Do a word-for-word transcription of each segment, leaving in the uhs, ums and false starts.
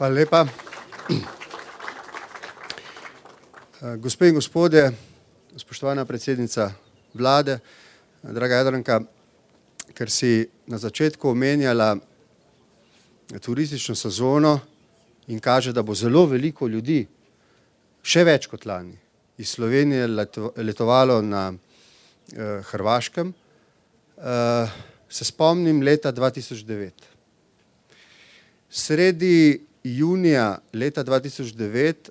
Hvala lepa. Gospe in gospodje, spoštovana predsednica vlade, draga Jadranka, ker si na začetku omenjala turistično sezono in kaže, da bo zelo veliko ljudi, še več kot lani, iz Slovenije letovalo na eh, Hrvaškem, eh, se spomnim leta dva tisoč devet. Sredi junija leta dva tisoč devet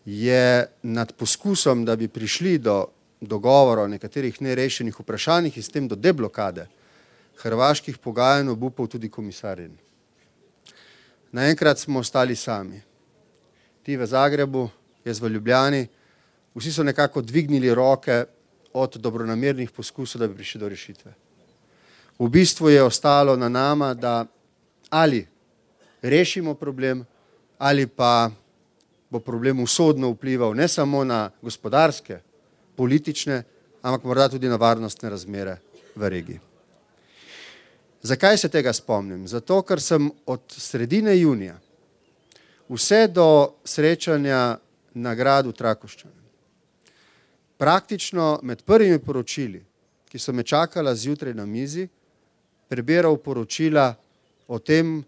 je nad poskusom, da bi prišli do dogovora o nekaterih nerešenih vprašanjih in s tem do deblokade hrvaških pogajanj obupal tudi komisar Rehn. Naenkrat smo ostali sami. Ti v Zagrebu, jaz v Ljubljani, vsi so nekako dvignili roke od dobronamernih poskusov, da bi prišli do rešitve. V bistvu je ostalo na nama, da ali rešimo problem, ali pa bo problem usodno vplival ne samo na gospodarske, politične, ampak morda tudi na varnostne razmere v regiji. Zakaj se tega spomnim? Zato, ker sem od sredine junija vse do srečanja na gradu Trakošćan praktično med prvimi poročili, ki so me čakala zjutraj na mizi, prebiral poročila o tem,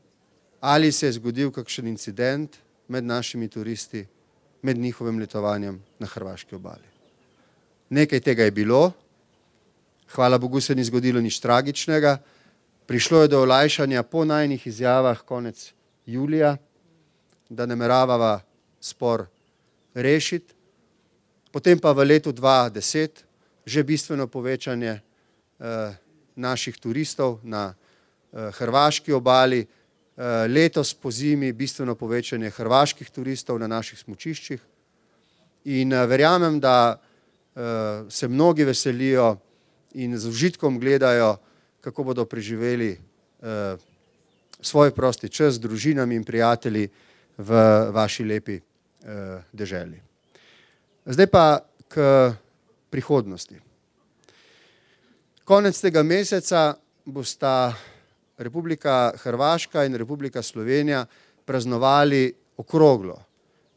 ali se je zgodil kakšen incident med našimi turisti, med njihovim letovanjem na hrvaški obali. Nekaj tega je bilo, hvala Bogu se ni zgodilo nič tragičnega, prišlo je do olajšanja po najinih izjavah konec julija, da nameravava spor rešiti, potem pa v letu dva tisoč deset že bistveno povečanje eh, naših turistov na eh, hrvaški obali, eh, letos po zimi bistveno povečanje hrvaških turistov na naših smučiščih in eh, verjamem, da eh, se mnogi veselijo in z užitkom gledajo, kako bodo preživeli eh, svoj prosti čas z družinami in prijatelji v vaši lepi eh, deželi. Zdaj pa k prihodnosti. Konec tega meseca bosta Republika Hrvaška in Republika Slovenija praznovali okroglo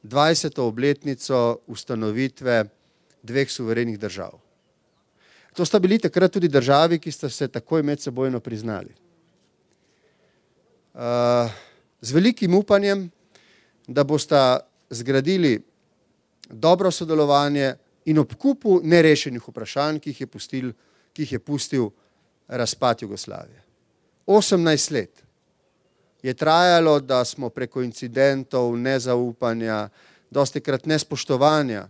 dvajseto obletnico ustanovitve dveh suverenih držav. To sta bili takrat tudi državi, ki sta se takoj medsebojno priznali. Z velikim upanjem, da bosta zgradili dobro sodelovanje in ob kupu nerešenih vprašanj, ki jih je pustil, ki jih je pustil razpad Jugoslavije. osemnajst let je trajalo, da smo preko incidentov, nezaupanja, dostikrat nespoštovanja,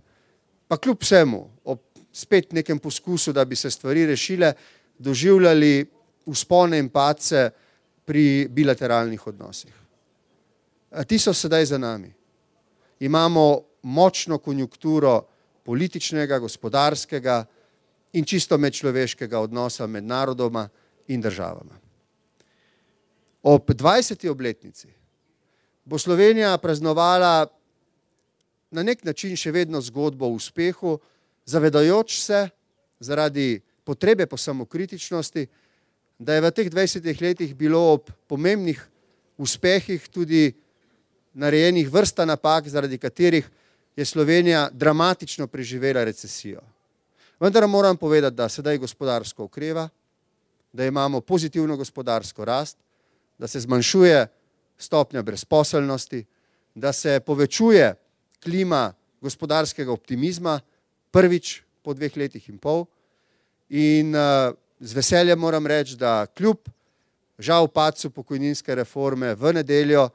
pa kljub vsemu, ob spet nekem poskusu, da bi se stvari rešile, doživljali vzpone in padce pri bilateralnih odnosih. Ti so sedaj za nami. Imamo močno konjunkturo političnega, gospodarskega in čisto medčloveškega odnosa med narodoma in državama. Ob dvajseti obletnici bo Slovenija praznovala na nek način še vedno zgodbo o uspehu, zavedajoč se zaradi potrebe po samokritičnosti, da je v teh dvajsetih letih bilo ob pomembnih uspehih tudi narejenih vrsta napak, zaradi katerih je Slovenija dramatično preživela recesijo. Vendar moram povedati, da sedaj gospodarsko okreva, da imamo pozitivno gospodarsko rast, da se zmanjšuje stopnja brezposelnosti, da se povečuje klima gospodarskega optimizma, prvič po dveh letih in pol. In uh, z veseljem moram reči, da kljub žal padcu pokojninske reforme v nedeljo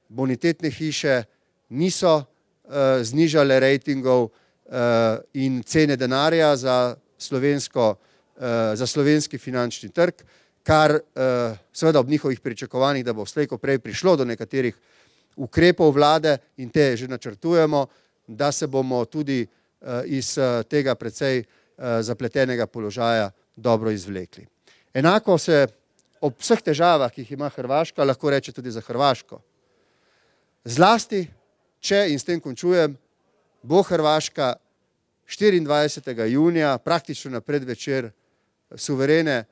bonitetne hiše niso uh, znižale rejtingov uh, in cene denarja za, slovensko, uh, za slovenski finančni trg, kar uh, seveda ob njihovih pričakovanjih, da bo slej ko prej prišlo do nekaterih ukrepov vlade in te že načrtujemo, da se bomo tudi uh, iz uh, tega precej uh, zapletenega položaja dobro izvlekli. Enako se ob vseh težavah, ki jih ima Hrvaška, lahko reče tudi za Hrvaško. Zlasti, če, in s tem končujem, bo Hrvaška štiriindvajsetega junija, praktično na predvečer suverene,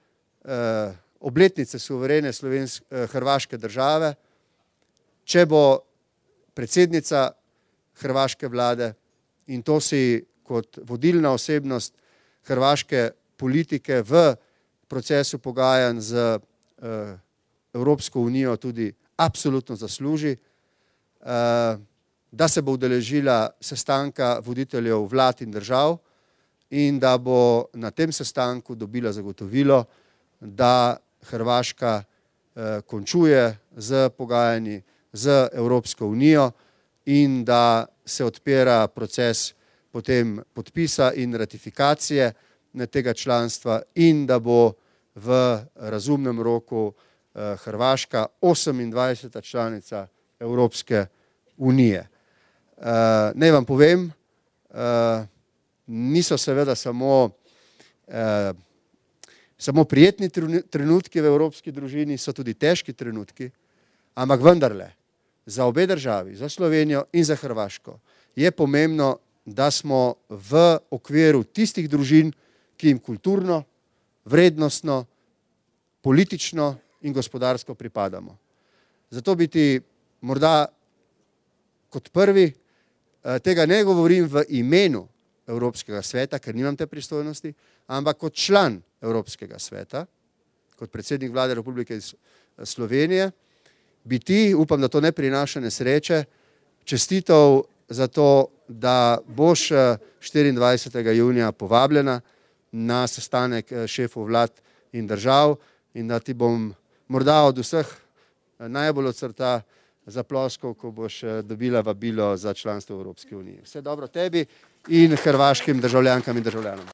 eh, obletnice suverene slovenske, eh, hrvaške države, če bo predsednica hrvaške vlade in to si kot vodilna osebnost hrvaške politike v procesu pogajanj z Evropsko unijo tudi absolutno zasluži, da se bo udeležila sestanka voditeljev vlad in držav in da bo na tem sestanku dobila zagotovilo, da Hrvaška končuje z pogajanji z Evropsko unijo in da se odpira proces potem podpisa in ratifikacije tega članstva in da bo v razumnem roku Hrvaška osemindvajseta članica Evropske unije. Naj vam povem, niso seveda samo, samo prijetni trenutki v evropski družini, so tudi težki trenutki, ampak vendarle, za obe državi, za Slovenijo in za Hrvaško, je pomembno, da smo v okviru tistih družin, ki jim kulturno, vrednostno, politično in gospodarsko pripadamo. Zato bi ti morda kot prvi, tega ne govorim v imenu Evropskega sveta, ker nimam te pristojnosti, ampak kot član Evropskega sveta, kot predsednik vlade Republike Slovenije, bi ti, upam, da to ne prinaša nesreče, čestitev za to, da boš štiriindvajsetega junija povabljena na sestanek šefov vlad in držav in da ti bom morda od vseh najbolj od srca zaploskal, ko boš dobila vabilo za članstvo v Evropski uniji. Vse dobro tebi in hrvaškim državljankam in državljanom.